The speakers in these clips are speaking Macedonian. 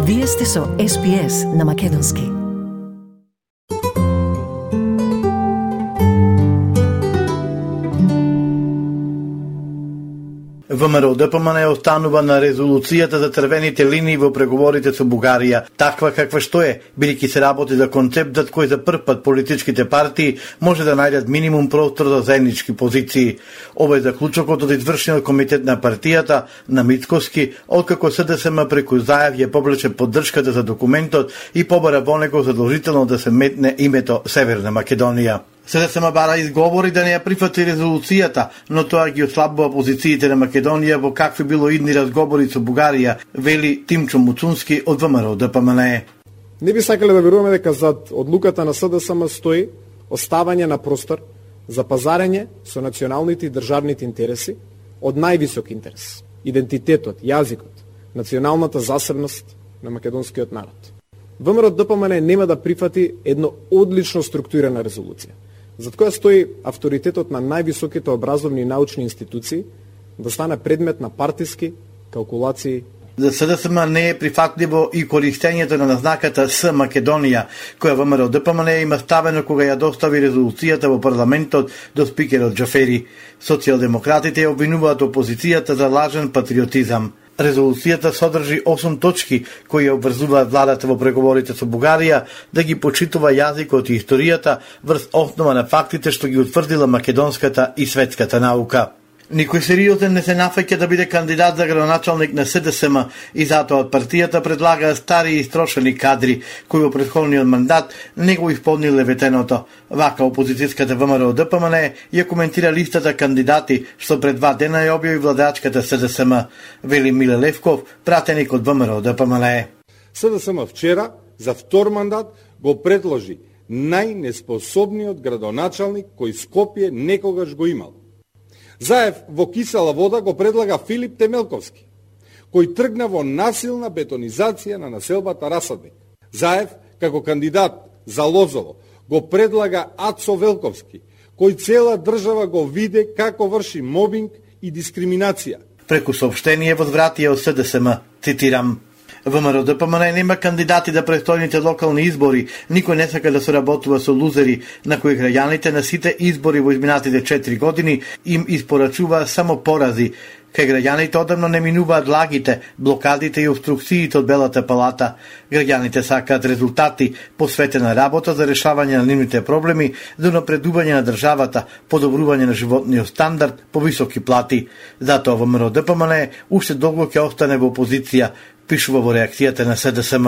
Вие сте со SPS на Македонски. ВМРО-ДПМН останува на резолуцијата за црвените линии во преговорите со Бугарија, таква каква што е, бидејќи се работи за концептот кој за прв пат политичките партии може да најдат минимум простор за заеднички позиции. Ова е заклучокот од извршниот комитет на партијата на Мицкоски, откако СДСМ преку зајав ја повлече поддршката за документот и побара во него задолжително да се метне името Северна Македонија. СДСМ бара изговори да не ја прифати резолуцијата, но тоа ги ослабува позициите на Македонија во какви било идни разговори со Бугарија, вели Тимчо Муцунски од ВМРО-ДПМН. Не би сакале да веруваме дека зад одлуката на СДСМ стои оставање на простор за пазарење со националните и државните интереси од највисок интерес, идентитетот, јазикот, националната засебност на македонскиот народ. ВМРО-ДПМН нема да прифати едно одлично структурирана резолуција, зад која стои авторитетот на највисоките образовни и научни институции да стане предмет на партиски калкулации. За СДСМ не е прифатливо и користењето на назнаката С Македонија, која ВМРО-ДПМН има ставено кога ја достави резолуцијата во парламентот до спикерот Џафери. Социјалдемократите ја обвинуваат опозицијата за лажен патриотизам. Резолуцијата содржи 8 точки кои ја обврзуваат владата во преговорите со Бугарија да ги почитува јазикот и историјата врз основа на фактите што ги утврдила македонската и светската наука. Никој сериозен не се нафаќа да биде кандидат за градоначалник на СДСМ и затоа од партијата предлага стари и истрошени кадри кои во претходниот мандат не го исполниле ветеното. Вака опозицијската ВМРО-ДПМН ја коментира листата кандидати што пред 2 дена ја објави владачката СДСМ, вели Миле Левков, пратеник од ВМРО-ДПМН. СДСМ вчера за втор мандат го предложи најнеспособниот градоначалник кој Скопје некогаш го имал. Заев во кисела вода го предлага Филип Темелковски, кој тргна во насилна бетонизација на населбата Расадник. Заев, како кандидат за Лозово, го предлага Ацо Велковски, кој цела држава го виде како врши мобинг и дискриминација. Преку соопштение возвратија од СДСМ, цитирам: ВМРО-ДПМН нема кандидати за престојните локални избори, никој не сака да соработува со лузери, на кои граѓаните на сите избори во изминатите 4 години им испорачува само порази. Кај граѓаните одамно не минуваат лагите, блокадите и обструкциите од Белата палата. Граѓаните сакаат резултати, посветена работа за решавање на нивните проблеми, за напредување на државата, подобрување на животниот стандард, повисоки плати. Затоа ВМРО-ДПМН уште долго ќе остане во опозиција, пишува во реакцијата на СДСМ.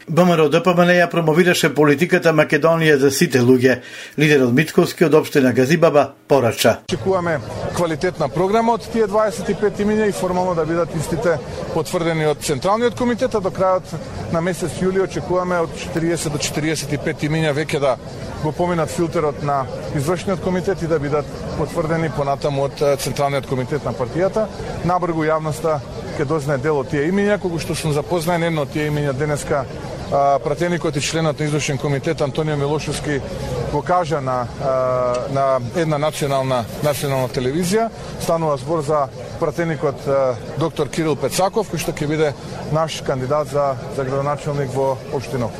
ВМРО-ДПМН ја промовираше политиката Македонија за сите луѓе. Лидерот Мицкоски од општина Газибаба порача: Очекуваме квалитетна програма од тие 25 имиња и формално да бидат истите потврдени од Централниот комитет, а до крајот на месец јули очекуваме од 40 до 45 имиња веќе да го поминат филтерот на извршниот комитет и да бидат потврдени понатаму од Централниот комитет на партијата. Набргу јавноста ќе дознае дел од тие имиња, кога што сум запознаен едно од тие имиња денеска пратеникот и членот на извршен комитет Антонио Милошевски го кажа на една национална телевизија. Станува збор за пратеникот доктор Кирил Пецаков, кој што ќе биде наш кандидат за градоначалник во општината.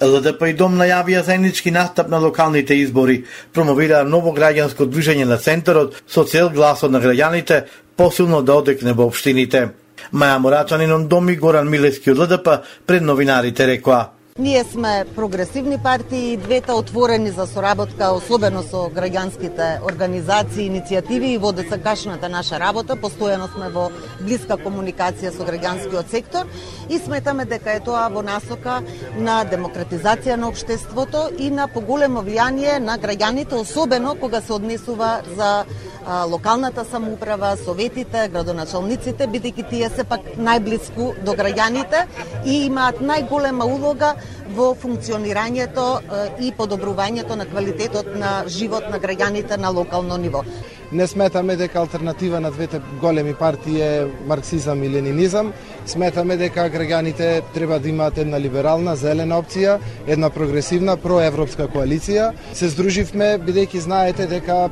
ЛДП и Дом најавија заеднички настап на локалните избори, промовираа ново граѓанско движење на центарот со цел гласот на граѓаните посилно да одекне во општините. Маја Морачанин Дом и Горан Милевски од ЛДП пред новинарите рекоа: Ние сме прогресивни партии, двете отворени за соработка, особено со граѓанските организации, иницијативи и во досегашната наша работа. Постојано сме во блиска комуникација со граѓанскиот сектор и сметаме дека е тоа во насока на демократизација на општеството и на поголемо влијание на граѓаните, особено кога се однесува за локалната самоуправа, советите, градоначалниците, бидејќи тие се пак најблиску до граѓаните и имаат најголема улога во функционирањето и подобрувањето на квалитетот на живот на граѓаните на локално ниво. Не сметаме дека алтернатива на двете големи партии е марксизам и ленинизам. Сметаме дека граѓаните треба да имаат една либерална, зелена опција, една прогресивна, проевропска коалиција. Се здруживме, бидејќи знаете дека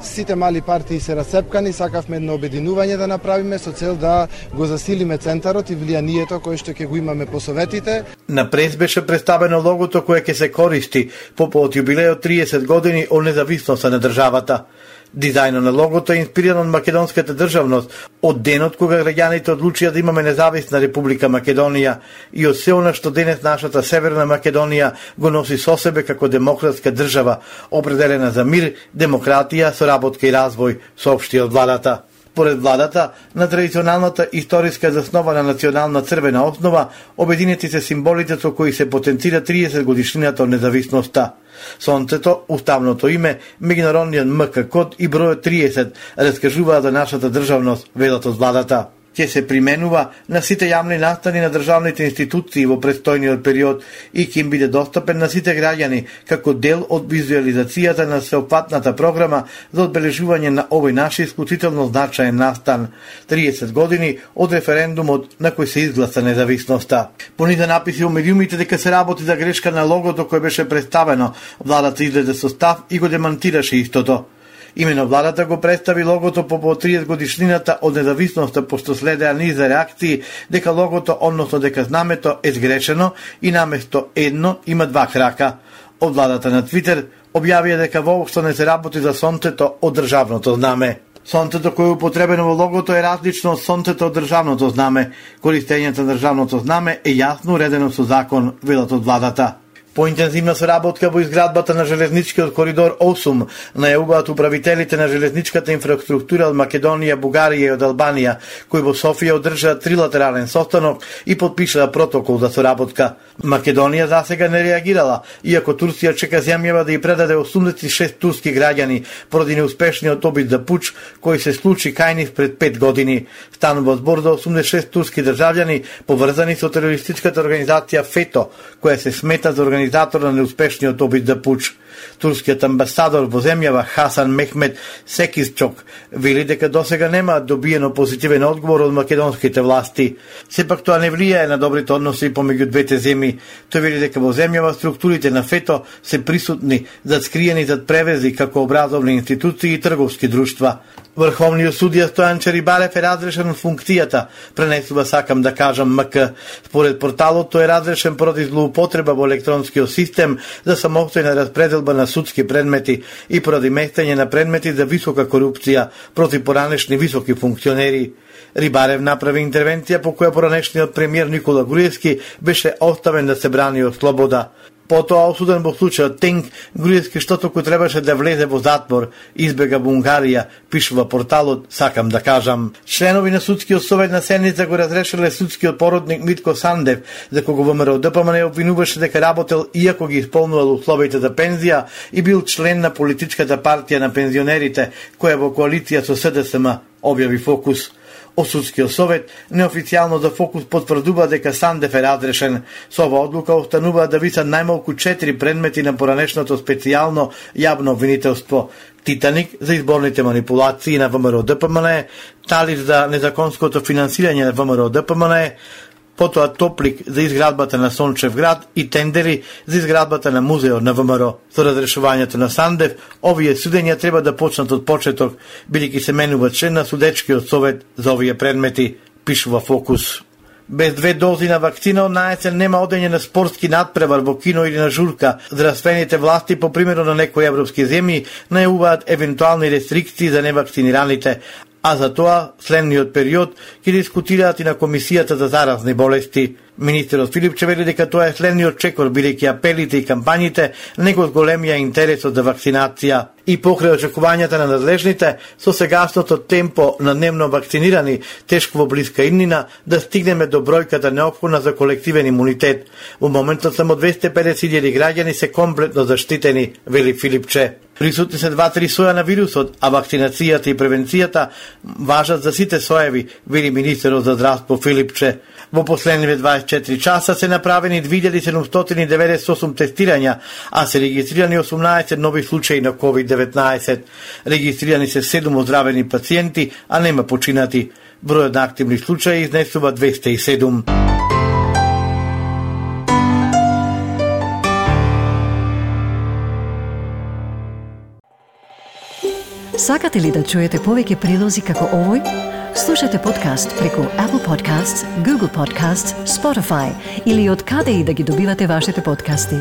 сите мали партии се расцепкани, сакавме едно обединување да направиме со цел да го засилиме центарот и влијанието кое што ќе го имаме по советите. На прес беше представено логото кое ќе се користи по повод јубилеот 30 години од независноста на државата. Дизајнот на логото е инспириран од македонската државност, од денот кога граѓаните одлучија да имаме независна Република Македонија и од се она што денес нашата Северна Македонија го носи со себе како демократска држава, определена за мир, демократија, соработка и развој, соопшти од владата. Поред владата, на традиционалната историска заснова на национална црвена основа, обединети се символите со кои се потенцира 30 годишнината од независноста. Сонцето, уставното име, меѓународниот МК код и бројот 30 раскажуваат за нашата државност, велат од владата. Ќе се применува на сите јавни настани на државните институции во престојниот период и ќе им биде достапен на сите граѓани како дел од визуализацијата на сеопфатната програма за одбележување на овој наш исклучително значаен настан, 30 години од референдумот на кој се изгласа независноста. Пониза написи во медиумите дека се работи за грешка на логото кое беше представено, владата излезе со став и го демантираше истото. Имено владата го представи логото по 30 годишнината од независноста, пошто следеа низ реакции дека логото, односно дека знамето е сгрешено и наместо едно има два крака. Од владата на Твитер објавија дека воопшто не се работи за сонцето од државното знаме. Сонцето кое е употребено во логото е различно од сонцето од државното знаме. Користењето на државното знаме е јасно уредено со закон, велат од владата. Поинтензивна соработка во изградбата на железничкиот коридор 8 најавуваат управителите на железничката инфраструктура од Македонија, Бугарија и од Албанија, кои во Софија одржаа трилатерален состанок и подпишаа протокол за соработка. Македонија засега не реагирала, иако Турција чека земјава да ја предаде 86 турски граѓани поради неуспешниот обид за пуч кој се случи кај нив пред 5 години. Станува збор за 86 турски државјани поврзани со терористичката организација ФЕТО, која се смета за организатор на неуспешниот обид за пуч. Турскиот амбасадор во земјава Хасан Мехмет Секисчок вели дека досега нема добиено позитивен одговор од македонските власти. Сепак тоа не влијае на добрите односи помеѓу двете земји. Тој вели дека во земјава структурите на ФЕТО се присутни, скриени зад превези како образовни институции и трговски друштва. Врховниот судија Стојан Черибарев е разрешен од функцијата, пренесува сакам да кажам МК. Според порталот тој е разрешен поради злоупотреба во електронскиот систем за самостојна распределба на судски предмети и поради местење на предмети за висока корупција против поранешни високи функционери. Рибарев направи интервенција по која поранешниот премиер Никола Груевски беше оставен да се брани од слобода. Потоа осуден во случајот Тенк, Груевски што току требаше да влезе во затвор, избега во Унгарија, пишува порталот, сакам да кажам. Членови на судскиот совет на седница го разрешиле судскиот породник Митко Сандев, за кого ВМРО ДПМН обвинуваше дека работел иако ги исполнувал условите за пензија и бил член на политичката партија на пензионерите, која во коалиција со СДСМ, објави Фокус. Од судскиот совет неофицијално за Фокус потврдува дека Сандев е разрешен. Со ова одлука останува да висат најмалку 4 предмети на поранешното специјално јавно обвинителство: Титаник за изборните манипулации на ВМРО ДПМН, Талиш за незаконското финансирање на ВМРО ДПМН, потоа Топлик за изградбата на Сончев град и тендери за изградбата на музеот на ВМРО. Со разрешувањето на Сандев, овие судења треба да почнат од почеток, бидејќи се менува член на судечкиот совет за овие предмети, пишува Фокус. Без 2 дози на вакцина од наесен нема одење на спортски надпревар во кино или на журка. Здравствените власти, по примерот на некои европски земји, најавуваат евентуални рестрикции за невакцинираните, а за тоа следниот период ќе дискутираат и на Комисијата за заразни болести. Министерот Филипче вели дека тоа е следниот чекор, бидејќи апелите и кампањите не го зголемија интересот за вакцинација. И покрај очекувањата на надлежните, со сегашното темпо на дневно вакцинирани, тешко во блиска иднина да стигнеме до бројката неопходна за колективен имунитет. Во моментот само 250.000 граѓани се комплетно заштитени, вели Филипче. Присутни се 2-3 соја на вирусот, а вакцинацијата и превенцијата важат за сите соеви, вели министерот за здравство Филипче. Во последниве 24 часа се направени 2798 тестирања, а се регистрирани 18 нови случаи на COVID-19. Регистрирани се 7 оздравени пациенти, а нема починати. Бројот на активни случаи изнесува 207. Сакате ли да чуете повеќе прилози како овој? Слушате подкаст преку Apple Podcasts, Google Podcasts, Spotify или од каде и да ги добивате вашите подкасти.